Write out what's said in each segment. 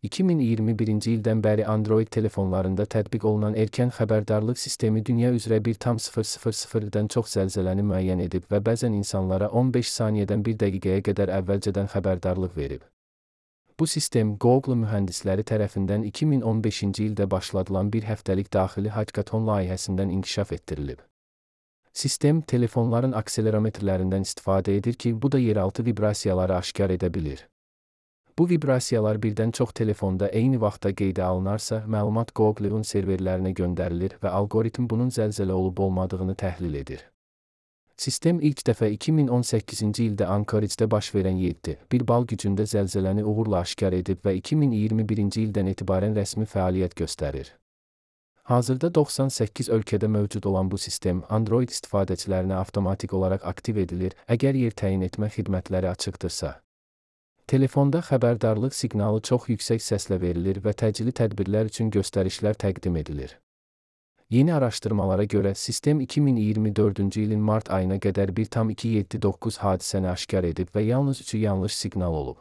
2021-ci ildən bəri Android telefonlarında tətbiq olunan erkən xəbərdarlıq sistemi dünya üzrə 1,000-dən çox zəlzələni müəyyən edib və bəzən insanlara 15 saniyədən 1 dəqiqəyə qədər əvvəlcədən xəbərdarlıq verib. Bu sistem Google mühəndisləri tərəfindən 2015-ci ildə başladılan bir həftəlik daxili hackathon layihəsindən inkişaf etdirilib. Sistem, telefonların akselerometrlərindən istifadə edir ki, bu da yeraltı vibrasiyaları aşkar edə bilir. Bu vibrasiyalar birdən çox telefonda eyni vaxtda qeydə alınarsa, məlumat Google-un serverlərinə göndərilir və algoritm bunun zəlzələ olub-olmadığını təhlil edir. Sistem ilk dəfə 2018-ci ildə Anchorage-də baş verən 7,1 bal gücündə zəlzələni uğurla aşkar edib və 2021-ci ildən etibarən rəsmi fəaliyyət göstərir. Hazırda 98 ölkədə mövcud olan bu sistem Android istifadəçilərinə avtomatik olaraq aktiv edilir, əgər yer təyin etmə xidmətləri açıqdırsa. Telefonda xəbərdarlıq siqnalı çox yüksək səslə verilir və təcili tədbirlər üçün göstərişlər təqdim edilir. Yeni araşdırmalara görə sistem 2024-cü ilin mart ayına qədər 1,279 hadisəni aşkar edib və yalnız 3-ü yanlış siqnal olub.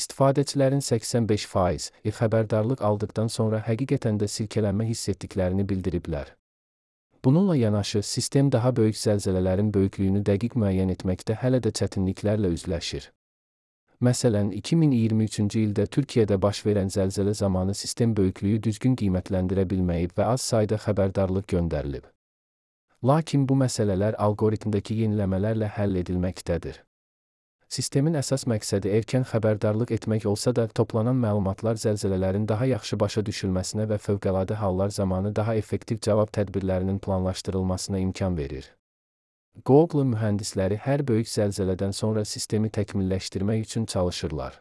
İstifadəçilərin 85% xəbərdarlıq aldıqdan sonra həqiqətən də silkələnmə hiss etdiklərini bildiriblər. Bununla yanaşı, sistem daha böyük zəlzələlərin böyüklüyünü dəqiq müəyyən etməkdə hələ də çətinliklərlə üzləşir. Məsələn, 2023-cü ildə Türkiyədə baş verən zəlzələ zamanı sistem böyüklüyü düzgün qiymətləndirə bilməyib və az sayda xəbərdarlıq göndərilib. Lakin bu məsələlər algoritmdəki yeniləmələrlə həll edilməkdədir. Sistemin əsas məqsədi erkən xəbərdarlıq etmək olsa da, toplanan məlumatlar zəlzələlərin daha yaxşı başa düşülməsinə və fövqəladə hallar zamanı daha effektiv cavab tədbirlərinin planlaşdırılmasına imkan verir. Google mühəndisləri hər böyük zəlzələdən sonra sistemi təkmilləşdirmək üçün çalışırlar.